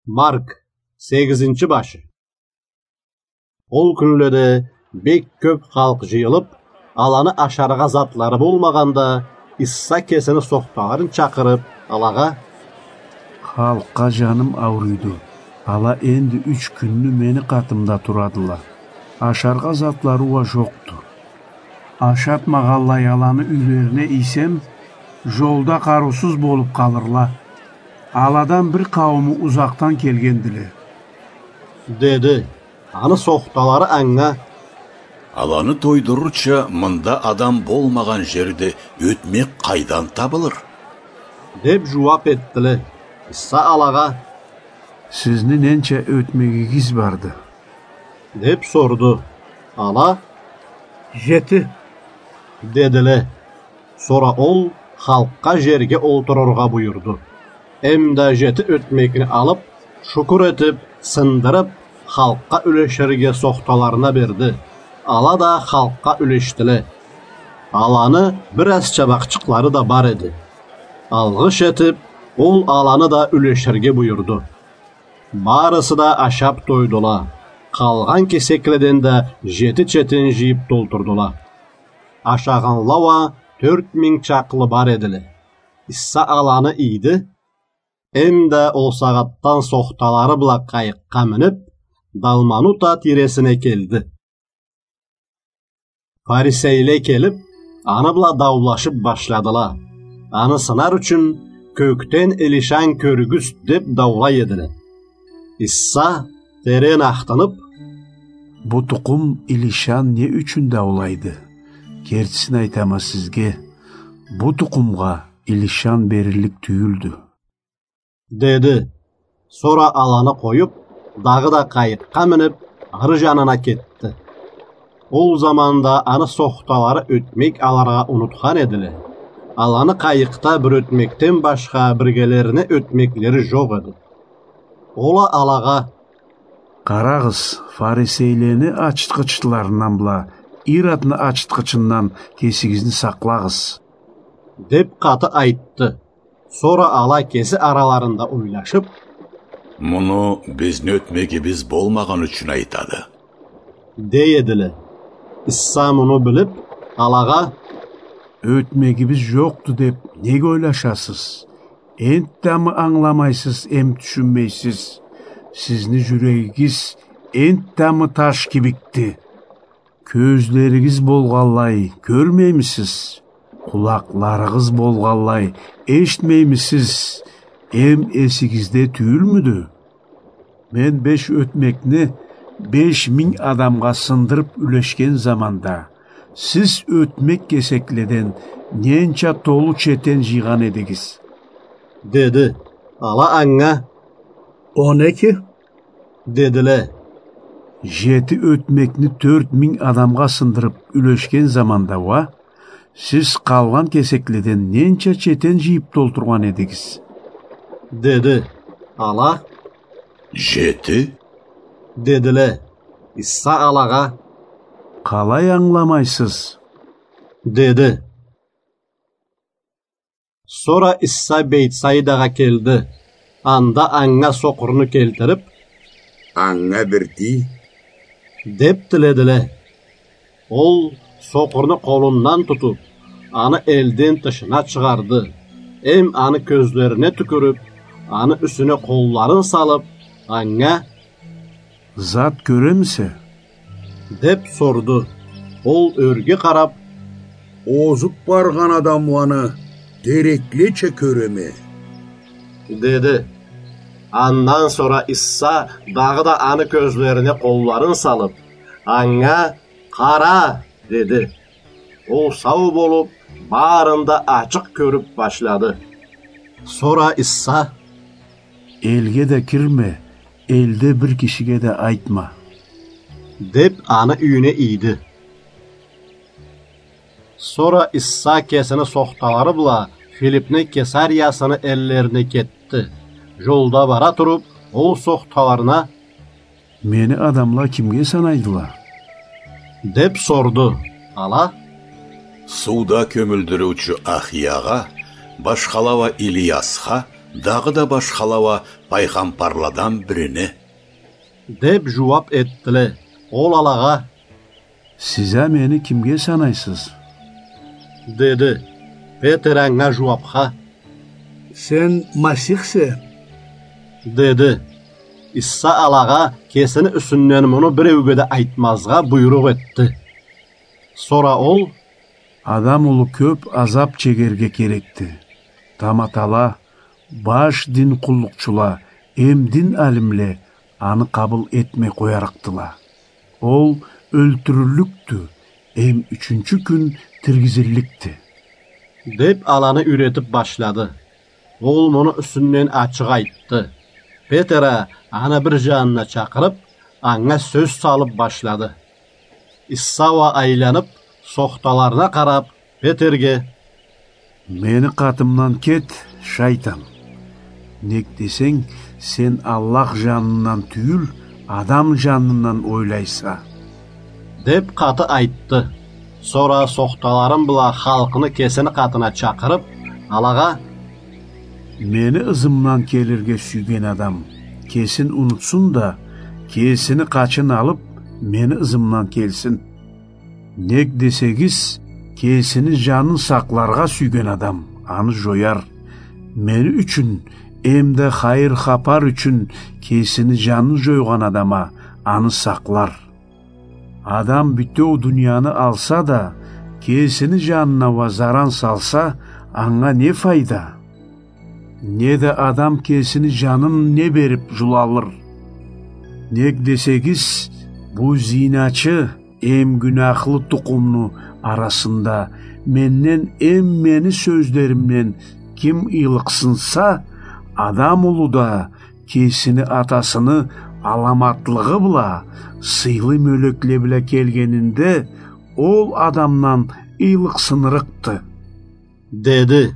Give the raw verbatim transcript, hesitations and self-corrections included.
Марк, сегизинчи башы. Ол кюнледе бек кёп халкъ жыйылып, аланы ашаргъа затлары болмагъанда, Иса кесини сохталарын чакъырып, алагъа: «Халкъгъа жаным ауруйду. Ала энди юч кюнню мени къатымда турадыла. Ашаргъа затлары уа жокъду. Ашатмагъанлай аланы юйлерине ийсем, жолда къарыусуз болуп къалырла. Аладан бир къаууму узакъдан келгендиле», — деди. Аны сохталары анга: «Аланы тойдурурча мында адам болмагъан жерде ётмек къайдан табылыр?» — деп жууап этдиле. Иса алагъа: «Сизни ненча ётмегигиз барды?» — деп сорду. Ала: «Жети», — дедиле. Сора ол халкъгъа жерге олтурургъа буюрду. Эмда жети ётмекни алып, шукур этип, сындырып, халкъгъа юлеширге сохталарына берди. Ала да халкъгъа юлешдиле. Аланы бир аз чабакъчыкълары да бар эди. Алгъыш этип, ол аланы да юлеширге буюрду. Барысы да ашап тойдула. Къалгъан кесекледен да жети четен жыйып толтурдула. Ашагъанла уа тёрт минг чакълы бар эдиле. Иса аланы ийди, эмда ол сагъатдан сохталары бла къайыкъгъа минип, Далманута тийресине келди. Фарисейле келип, аны бла даулашып башладыла. Аны сынар ючюн, кёкден илишан кёргюз деп даулай эдиле. Иса, терен ахтынып: «Бу тукъум илишан не ючюн даулайды? Кертисин айтама сизге, бу тукъумгъа илишан бериллик тюйюлдю», — деди. Сора аланы къоюп, дагъыда къайыкъгъа минип, ары жанына кетди. Ол заманда аны сохталары ётмек алыргъа унутхан эдиле. Аланы къайыкъда бир ётмекден башха биргелерине ётмеклери жокъ эди. Ол а алагъа: «Къарагъыз, фарисейлени ачытгъычларындан бла Иродну ачытгъычындан кесигизни сакълагъыз», — деп къаты айтды. Сора ала кеси араларында ойлашып: «Муну бизни ётмегибиз болмагъан ючюн айтады», — дей эдиле. Иса муну билип, алагъа: «Ётмегибиз жокъду деп неге ойлашасыз? Энтдамы ангыламайсыз эм тюшюнмейсиз? Сизни жюрегигиз энтдамы таш кибикди? Кёзлеригиз болгъанлай кёрмеймисиз? Къулакъларыгъыз болгъанлай эшитмеймисиз? Эм эсигизде тюйюлмюдю? Мен беш ётмекни беш минг адамгъа сындырып юлешген заманда, сиз ётмек кесекледен ненча толу четен жыйгъан эдигиз?» — деди. Ала анга: «Он эки», — дедиле. «Жети ётмекни тёрт минг адамгъа сындырып юлешген заманда уа, сиз къалгъан кесекледен ненча четен жыйып толтургъан эдигиз?» — деди. Ала: «Жети», — дедиле. Иса алагъа: «Къалай ангыламайсыз?» — деди. Сора Иса Бейтсаидагъа келди. Анда анга сокъурну келтирип: «Анга бир тий», — деп тиледиле. Ол сокъурну къолундан тутуп, аны элден тышына чыгъарды, эм аны кёзлерине тюкюрюп, аны юсюне къолларын салып, анга: «Зат кёремисе?» — деп сорду. Ол ёрге къарап: «Озуп баргъан адамланы тереклеча кёреме», — деди. Андан сора Иса дагъыда аны кёзлерине къолларын салып, анга: «Къара!» — деди. Ол сау болуп, барын да ачыкъ кёрюп башлады. Сора Иса: «Элге да кирме, элде бир кишиге да айтма», — деп, аны юйюне ийди. Сора Иса кесини сохталары бла Филипни Кесариясыны эллерине кетди. Жолда бара туруп, ол сохталарына: «Мени адамла кимге санайдыла?» — деп сорду. Ала: «Сууда кёмюлдюрюучю Ахиягъа, башхала уа Илиясха, Дагъыда башхала уа пайгъамбарладан бирине», — деп жууап этдиле. Ол алагъа: «Сиз а мени кимге санайсыз?» — деди. Петер анга жууапха: «Сен Масихсе», — деди. Иса алагъа кесини юсюнден муну биреуге да айтмазгъа буйрукъ этди. Сора ол: «Адам улу кёп азап чегерге керекди. Таматала, баш дин къуллукъчула эм дин алимле аны къабыл этмей къоярыкъдыла. Ол ёлтюрюллюкдю эм ючюнчю кюн тиргизилликди», — деп, аланы юйретип башлады. Ол муну юсюнден ачыкъ айтды. Петер а аны бир жанына чакъырып, анга сёз салып башлады. Иса уа айланып, сохталарына къарап, Петерге: «Мени къатымдан кет, шайтан! Нек десенг, сен Аллах жанындан тюйюл, адам жанындан ойлайса», — деп къаты айтды. Сора сохталарын бла халкъны кесини къатына чакъырып, алагъа: «Мени ызымдан келирге сюйген адам кесин унутсун да, кесини къачын алып, мени ызымдан келсин. Нек десегиз, кесини жанын сакъларгъа сюйген адам аны жояр. Мени ючюн эм да хайыр хапар ючюн кесини жанын жойгъан адам а аны сакълар. Адам бютеу дунияны алса да, кесини жанына уа заран салса, анга не файда? Не да адам кесини жанын не берип жулалыр? Нек десегиз, бу зиначы эм гюнахлы тукъумну арасында менден эм мени сёзлеримден ким ыйлыкъсынса, Адам улу да кесини атасыны аламатлыгъы бла, сыйлы мёлекле бла келгенинде, ол адамдан ыйлыкъсынырыкъды», — деди.